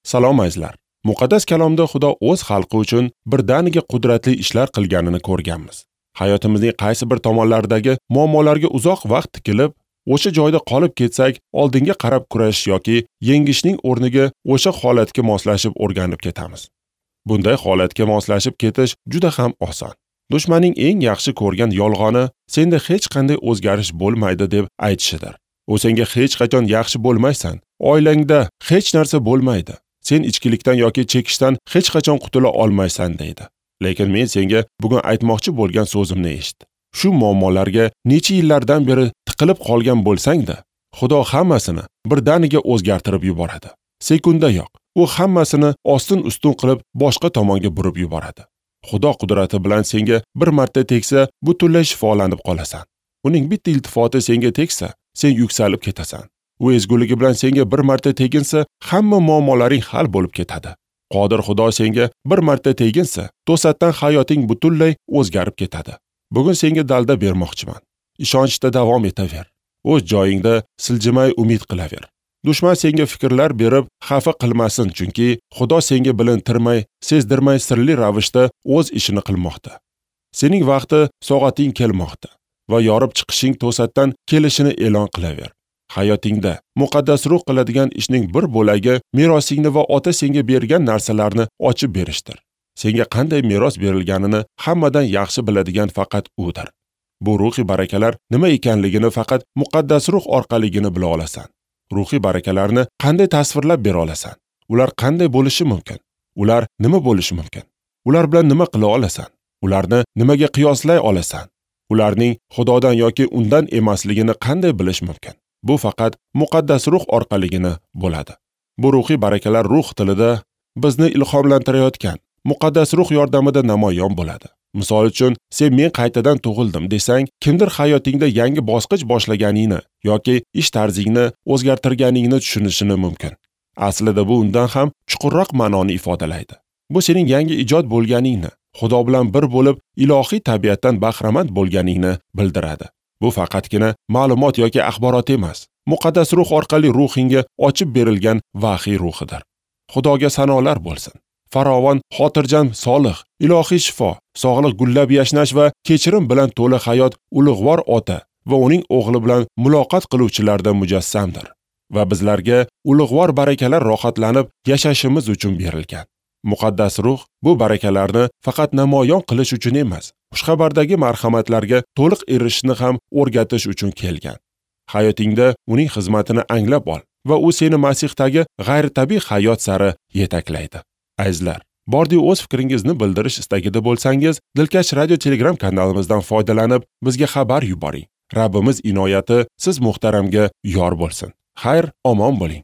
Salom azizlar. Muqaddas kalomda Xudo o'z xalqi uchun birdaniga qudratli ishlar qilganini ko'rganmiz. Hayotimizning qaysi bir tomonlaridagi muammolarga uzoq vaqt tikilib, o'sha joyda qolib ketsak, oldinga qarab kurashish yoki yengishning o'rniga o'sha holatga moslashib o'rganib ketamiz. Bunday holatga moslashib ketish juda ham oson. Dushmanning eng yaxshi ko'rgan yolg'oni senda hech qanday o'zgarish bo'lmaydi deb aytishidir. U senga hech qachon yaxshi bo'lmaysan, oilangda hech narsa bo'lmaydi, sen ichkilikdan yoki chekishdan hech qachon qutula olmaysan deydi. Lekin men senga bugun aytmoqchi bo'lgan so'zimni eshit. Shu muammolarga necha yillardan beri tiqilib qolgan bo'lsang-da, Xudo hammasini birdaniga o'zgartirib yuboradi. Sekundayoq u hammasini ostin-ustun qilib boshqa tomonga burib yuboradi. Xudo qudrati bilan senga bir marta tegsa, butunlay shifolanib qolasan. Uning bitta iltifoti senga tegsa, sen yuksalib ketasan. U ezguligi bilan senga bir marta teginsa, hamma muammolaring hal bo'lib ketadi. Qodir Xudo senga bir marta teginsa, to'satdan hayoting butunlay o'zgarib ketadi. Bugun senga dalda bermoqchiman. Ishonchda davom etaver. O'z joyingda siljimay umid qilaver. Dushman senga fikrlar berib xafa qilmasin, chunki Xudo senga bilintirmay, sezdirmay sirli ravishda o'z ishini qilmoqda. Sening vaqti, soating kelmoqda va yorib chiqishing to'satdan kelishini e'lon qilaver. Hayotingda muqaddas ruh qiladigan ishning bir bo'lagi merosingni va ota senga bergan narsalarni ochib berishdir. Senga qanday meros berilganini hammadan yaxshi biladigan faqat udir. Bu ruhiy barakalar nima ekanligini faqat muqaddas ruh orqaligina bila olasan. Ruhiy barakalarni qanday tasvirlab bera olasan? Ular qanday bo'lishi mumkin? Ular nima bo'lishi mumkin? Ular bilan nima qila olasan? Ularni nimaga qiyoslay olasan? Ularning Xudodan yoki undan emasligini qanday bilish mumkin? Bu faqat muqaddas ruh orqaligina bo'ladi. Bu ruhiy barakalar ruh tilida bizni ilhomlantirayotgan muqaddas ruh yordamida namoyon bo'ladi. Misol uchun, sen men qaytadan tug'ildim desang, kimdir hayotingda yangi bosqich boshlaganingni yoki ish tarzingni o'zgartirganingni tushunishini mumkin. Aslida bu undan ham chuqurroq ma'noni ifodalaydi. Bu sening yangi ijod bo'lganingni, Xudo bilan bir bo'lib, ilohiy tabiatdan bahramand bo'lganingni bildiradi. Bu faqatgina ma'lumot yoki axborot emas, muqaddas ruh orqali ruhingga ochib berilgan vahiy ruhidir. Xudoga sanolar bo'lsin. Farovon, xotirjam, solih, ilohiy shifo, sog'liq, gullab yashnash va kechirim bilan to'la hayot ulug'vor ota va uning o'g'li bilan muloqot qiluvchilarda mujassamdir va bizlarga ulug'vor barakalar rohatlanib yashashimiz uchun berilgan. Muqaddas ruh bu barakalarni faqat namoyon qilish uchun emas, xushxabardagi marhamatlarga to'liq erishishni ham o'rgatish uchun kelgan. Hayotingda uning xizmatini anglab ol va u seni Masihdagi g'ayritabiiy hayot sari yetaklaydi. Azizlar, bordi o'z fikringizni bildirish istagida bo'lsangiz, Dilkash radio Telegram kanalimizdan foydalanib, bizga xabar yuboring. Rabbimiz inoyati siz muhtaramga yor bo'lsin. Xayr, omon bo'ling.